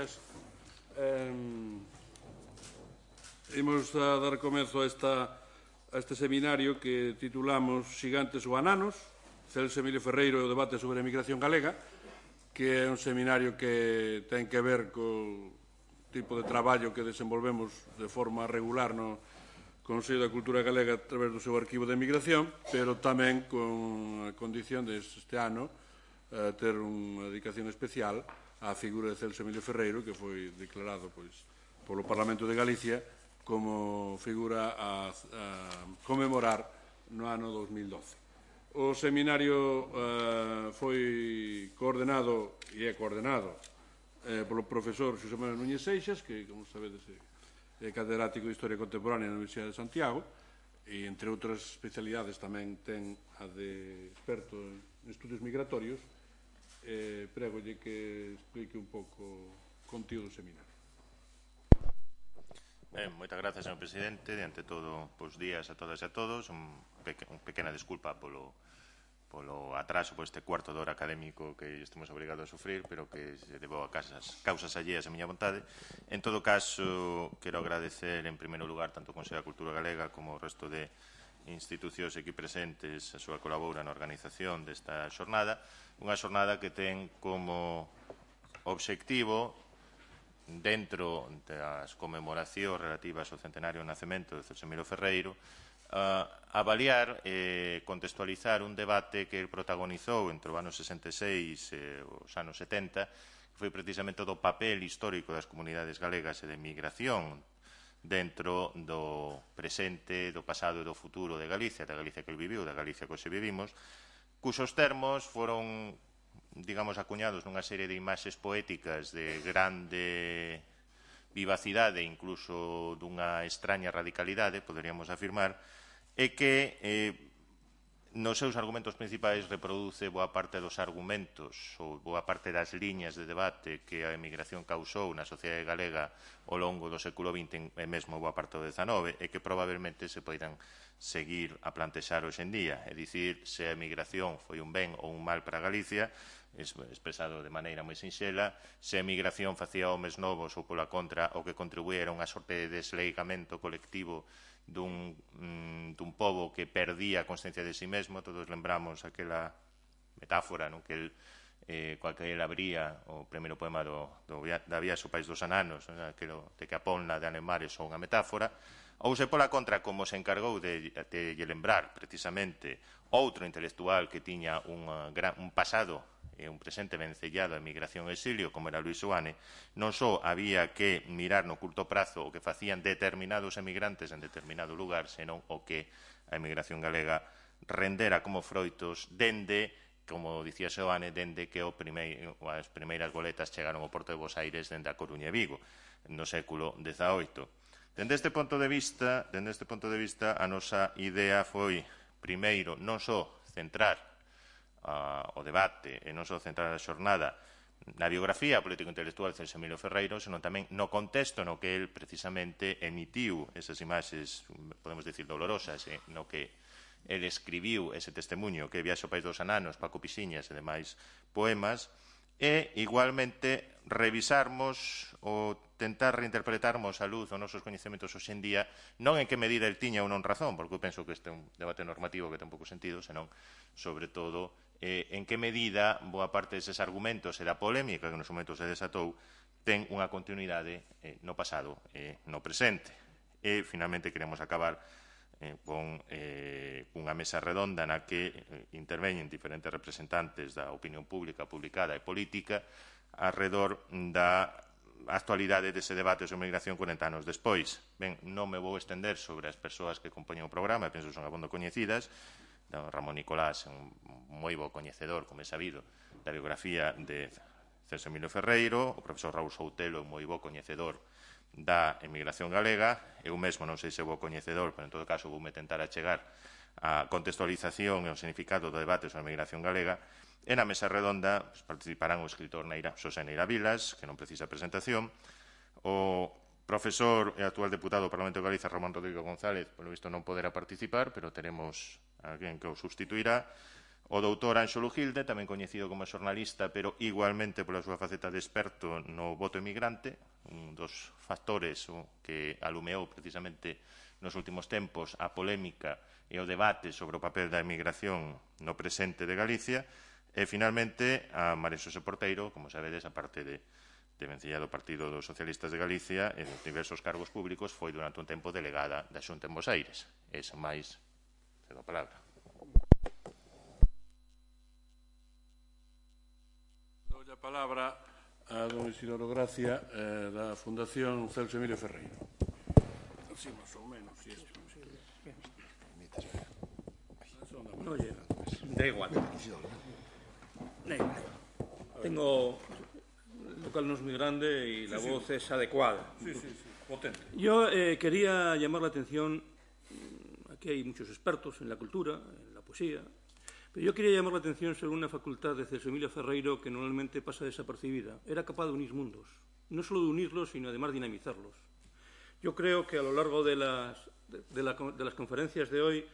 señorías. Imos a dar comezo a este seminario que titulamos Xigantes ou Ananos, Celso Emilio Ferreiro e o debate sobre a emigración galega, que é un seminario que ten que ver co tipo de traballo que desenvolvemos de forma regular no Consello da Cultura Galega a través do seu arquivo de emigración, pero tamén con a condición de este ano ter unha dedicación especial á figura de Celso Emilio Ferreiro, que foi declarado polo Parlamento de Galicia como figura a conmemorar no ano 2012. O seminario foi coordenado e é coordenado polo profesor Xosé Manuel Núñez Seixas, que, como sabedes, é catedrático de Historia Contemporánea na Universidade de Santiago, e, entre outras especialidades, tamén ten a de experto en estudios migratorios. Prégolle que explique un pouco o contido do seminario. Ben, moitas grazas, señor presidente. Diante todo, bons días a todas e a todos. Unha pequena desculpa polo atraso por este cuarto de hora académico que estamos obrigados a sufrir, pero que se debou a causas alleas a miña vontade. En todo caso, quero agradecer en primeiro lugar tanto o Consello da Cultura Galega como o resto de institucións aquí presentes a súa colabora na organización desta xornada, unha xornada que ten como obxectivo, dentro das conmemoracións relativas ao centenario do nacemento de Celso Emilio Ferreiro, avaliar e contextualizar un debate que protagonizou entre os anos 66 e os anos 70, que foi precisamente do papel histórico das comunidades galegas e de migración dentro do presente, do pasado e do futuro de Galicia, da Galicia que el viviu, da Galicia que hoxe vivimos, cuxos termos foron, digamos, acuñados nunha serie de imaxes poéticas de grande vivacidade, incluso dunha extraña radicalidade, poderíamos afirmar, e que nos seus argumentos principais reproduce boa parte dos argumentos ou boa parte das liñas de debate que a emigración causou na sociedade galega ao longo do século XX e mesmo boa parte do XIX, e que probablemente se poidan seguir a plantexar hoxe en día. É dicir, se a emigración foi un ben ou un mal para Galicia, expresado de maneira moi sinxela, se a emigración facía homes novos ou, pola contra, o que contribuía era unha sorte de desleigamento colectivo dun pobo que perdía a consciencia de si mesmo. Todos lembramos aquela metáfora coa que ele abría o primeiro poema da Viaxe ao País dos Ananos, aquilo de que a ponla de Anemar é só unha metáfora. Ou se, pola contra, como se encargou de lembrar precisamente outro intelectual que tiña un pasado e un presente vencellado á emigración e exilio, como era Luis Seoane, non só había que mirar no curto prazo o que facían determinados emigrantes en determinado lugar, senón o que a emigración galega rendera como froitos dende, como dicía Seoane, dende que as primeiras boletas chegaron ao Porto de Bos Aires dende a Coruña e Vigo, no século XVIII. Dende este punto de vista, a nosa idea foi, primeiro, non só centrar o debate e non só centrar a xornada na biografía político-intelectual de Celso Emilio Ferreiro, senón tamén no contexto no que el precisamente emitiu esas imaxes, podemos dicir, dolorosas, no que el escribiu ese testemunho que Viaxe ao País dos Ananos, Paco Pixiñas e demais poemas, e igualmente revisarmos ou tentar reinterpretarmos a luz os nosos coñecementos hoxe en día, non en que medida el tiña ou non razón, porque eu penso que este é un debate normativo que ten pouco sentido, senón, sobre todo, en que medida boa parte deses argumentos e da polémica que nos momentos se desatou ten unha continuidade no pasado e no presente. E, finalmente, queremos acabar con unha mesa redonda na que interveñen diferentes representantes da opinión pública, publicada e política arredor da actualidade dese debate sobre migración 40 anos despois. Ben, non me vou estender sobre as persoas que compoñen o programa, penso que son abondo coñecidas. Ramón Nicolás é un moi bo coñecedor, como é sabido, da biografía de Celso Emilio Ferreiro. O profesor Raúl Soutelo é un moi bo coñecedor da emigración galega. Eu mesmo non sei se é bo coñecedor, pero en todo caso voume tentar achegar a contextualización e o significado do debate sobre a emigración galega. E na mesa redonda participarán o escritor Xosé Neira Vilas, que non precisa presentación, o profesor e actual deputado do Parlamento de Galicia, Ramón Rodrigo González, polo visto non poderá participar, pero teremos alguén que o sustituirá, O doutor Ánxolo Gilde, tamén coñecido como xornalista, pero igualmente pola súa faceta de experto no voto emigrante, un dos factores que alumeou precisamente nos últimos tempos a polémica e o debate sobre o papel da emigración no presente de Galicia, e, finalmente, a María Xosé Porteiro, como sabedes, a parte de vencella do Partido dos Socialistas de Galicia e de diversos cargos públicos, foi durante un tempo delegada da Xunta en Bos Aires. Esa máis, cedo a palabra. Dou a palabra a don Isidoro Gracia da Fundación Celso Emilio Ferreiro. Así, máis ou menos, si es. No llega. Da igual. Tengo el local no es muy grande y la voz es adecuada. Sí, potente. Yo quería llamar la atención, aquí hay muchos expertos en la cultura, en la poesía, pero yo quería llamar la atención sobre una facultad de Celso Emilio Ferreiro que normalmente pasa desapercibida. Era capaz de unir mundos, no solo de unirlos, sino además dinamizarlos. Yo creo que a lo largo de las conferencias de hoy,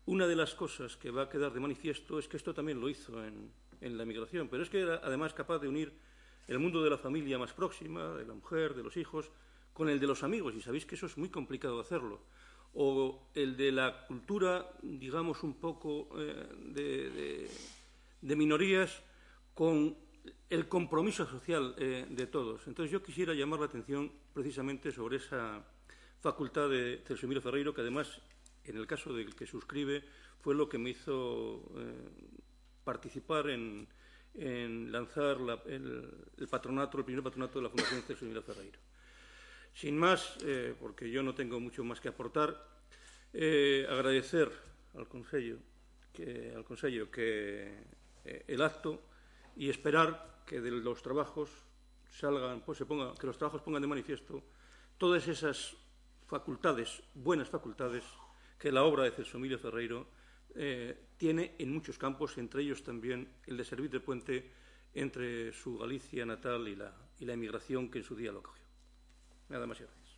una de las cosas que va a quedar de manifiesto es que esto también lo hizo en la migración, pero es que era además capaz de unir el mundo de la familia más próxima, de la mujer, de los hijos, con el de los amigos, y sabéis que eso es muy complicado hacerlo, o el de la cultura, digamos, un poco de minorías, con el compromiso social de todos. Entonces yo quisiera llamar la atención precisamente sobre esa facultad de Celso Emilio Ferreiro, que además, en el caso del que suscribe, fue lo que me hizo participar en lanzar el patronato, el primer patronato de la Fundación Celso Emilio Ferreiro. Sin más, porque yo no tengo mucho más que aportar, agradecer al Consello que el acto y esperar que de los trabajos salgan, pues que los trabajos pongan de manifiesto todas esas facultades, buenas facultades, que la obra de Celso Emilio Ferreiro tiene en muchos campos, entre ellos también el de servir de puente entre su Galicia natal y la emigración que en su día lo acogió. Nada más y gracias.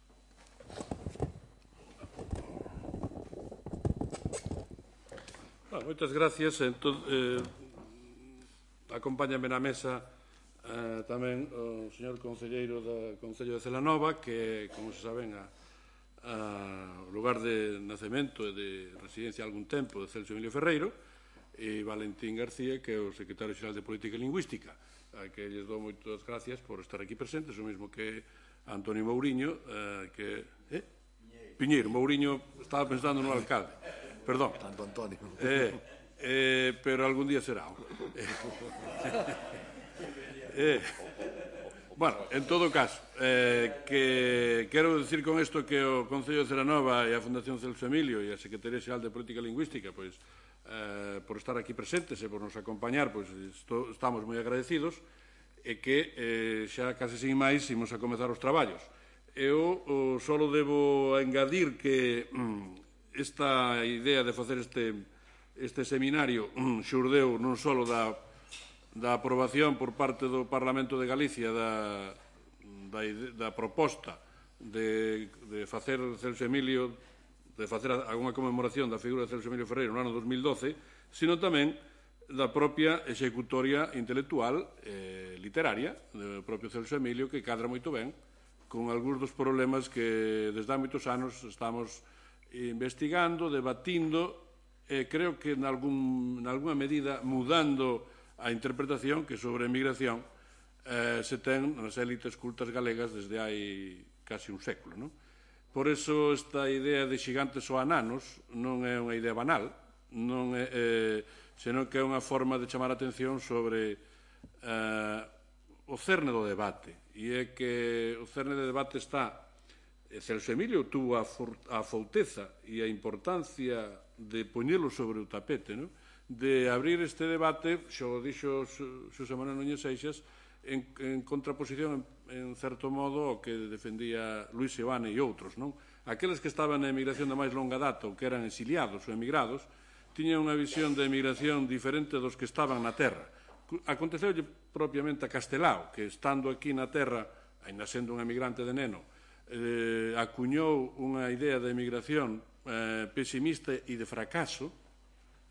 Moitas gracias. Acompáñame na mesa tamén o señor concelleiro do Concello de Celanova, que, como se saben, o lugar de nacemento e de residencia algún tempo de Celso Emilio Ferreiro, e Valentín García, que é o secretario xeral de Política e Lingüística, a que lles dou moitas gracias por estar aquí presentes, o mesmo que Antonio Mouriño, que... Piñeiro, Mouriño, estaba pensando no alcalde, perdón. Tanto Antonio. Pero algún día será. Bueno, en todo caso, que quero dicir con isto que o Concello de Celanova e a Fundación Celso Emilio e a Secretaría Xeral de Política Lingüística, pois, por estar aquí presentes e por nos acompañar, pois estamos moi agradecidos, e que xa case sin máis imos a comezar os traballos. Eu só debo engadir que esta idea de facer este seminario xurdeu non só da aprobación por parte do Parlamento de Galicia da proposta de facer Celso Emilio, de facer algunha conmemoración da figura de Celso Emilio Ferreiro no ano 2012, sino tamén da propia executoria intelectual literaria do propio Celso Emilio, que cadra moito ben con algúns dos problemas que desde há moitos anos estamos investigando, debatindo, e creo que en algunha medida mudando a interpretación que sobre a emigración se ten nas élites cultas galegas desde hai casi un século. Por iso esta idea de xigantes ou ananos non é unha idea banal, senón que é unha forma de chamar a atención sobre o cerne do debate. E é que o cerne do debate está... Celso Emilio tuvo a fouteza e a importancia de poñelo sobre o tapete, de abrir este debate, xo dixo Xosé Manuel Núñez Seixas, en contraposición, en certo modo, ao que defendía Luis Seoane e outros. Aqueles que estaban na emigración de máis longa data, ou que eran exiliados ou emigrados, tiñan unha visión de emigración diferente dos que estaban na terra. Aconteceulle propiamente a Castelao, que estando aquí na terra, ainda sendo un emigrante de neno, acuñou unha idea de emigración pesimista e de fracaso.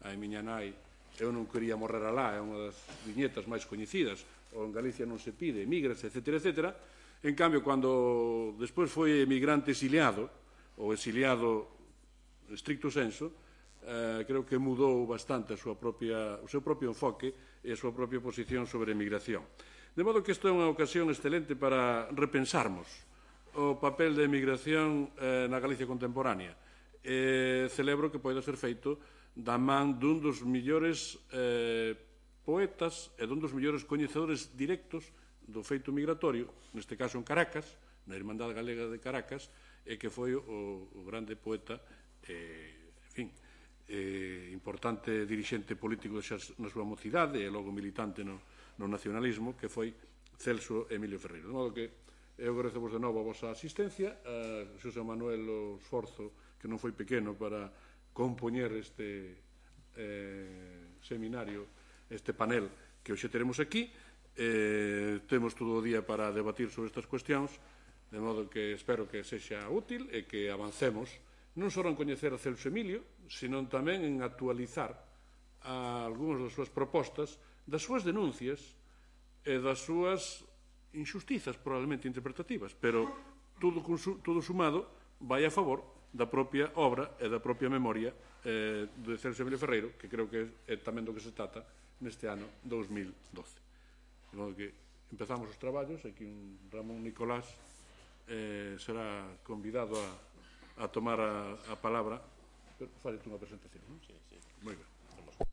A miña nai eu non quería morrer alá, é unha das viñetas máis coñecidas, ou en Galicia non se pide, emigras, etc., etc. En cambio, cando despois foi emigrante exiliado, ou exiliado en estricto senso, creo que mudou bastante o seu propio enfoque e a súa propia posición sobre a emigración. De modo que isto é unha ocasión excelente para repensarmos o papel da emigración na Galicia contemporánea. Celebro que poida ser feito da man dun dos millores poetas e dun dos millores coñecedores directos do feito migratorio, neste caso en Caracas, na Irmandade Galega de Caracas, e que foi o grande poeta, importante dirixente político na súa mocidade e logo militante no nacionalismo, que foi Celso Emilio Ferreiro. De modo que eu agradecemos de novo a vosa asistencia, a Xosé Manuel o esforzo que non foi pequeno para compoñer este seminario, este panel que hoxe teremos aquí. Temos todo o día para debatir sobre estas cuestións, de modo que espero que sexa útil e que avancemos non só en coñecer a Celso Emilio, senón tamén en actualizar algunhas das súas propostas, das súas denuncias e das súas injustizas probablemente interpretativas, pero todo sumado vai a favor da propia obra e da propia memoria de Celso Emilio Ferreiro, que creo que é tamén do que se trata neste ano 2012. De modo que empezamos os traballos, aquí Ramón Nicolás será convidado a tomar a palabra. Fale unha presentación, non? Sí. Moi ben.